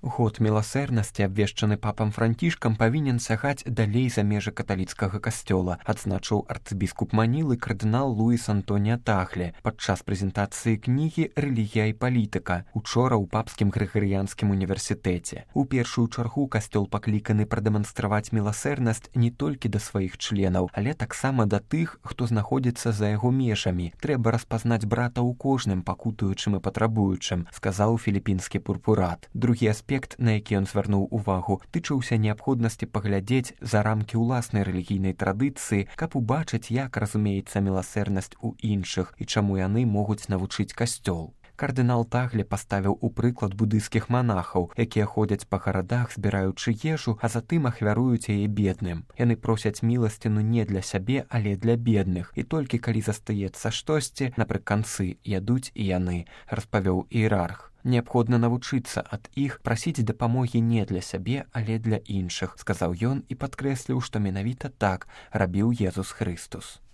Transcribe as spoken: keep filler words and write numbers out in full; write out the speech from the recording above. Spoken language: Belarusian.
Год міласэрнасці, абвешчаны папам Францішкам, павінен сягаць далей за межы каталіцкага касцёла, адзначыў арцыбіскуп Манілы кардынал Луіс Антоніа Тагле падчас прэзентацыі кнігі «Рэлігія і палітыка» учора ў папскім грыгарыянскім універсітэце. У першую чаргу касцёл пакліканы прадэманстраваць міласэрнасць не толькі да сваіх членаў, але таксама да тых, хто знаходзіцца за яго межамі. Трэба распазнаць брата ў кожным пакутуючым і патрабуючым, сказаў філіпінскі пурпурат. Другі аспект, на які ён звярнуў увагу, тычыўся неабходнасці паглядзець за рамкі ўласнай рэлігійнай традыцыі, каб убачыць, як разумеецца міласэрнасць у іншых і чаму яны могуць навучыць касцёл. Кардынал Тагле паставіў у прыклад будыйскіх манахаў, якія ходзяць па гарадах, збіраючы ежу, а затым ахвяруюць яе бедным. Яны просяць міласціну не для сябе, але для бедных, і толькі калі застаецца штосьці, напрыканцы ядуць і яны, распавёў іерарх. Неабходна навучыцца ад іх прасіць дапамогі не для сябе, але для іншых, сказаў ён і падкрэсліў, што менавіта так рабіў Езус Хрыстус.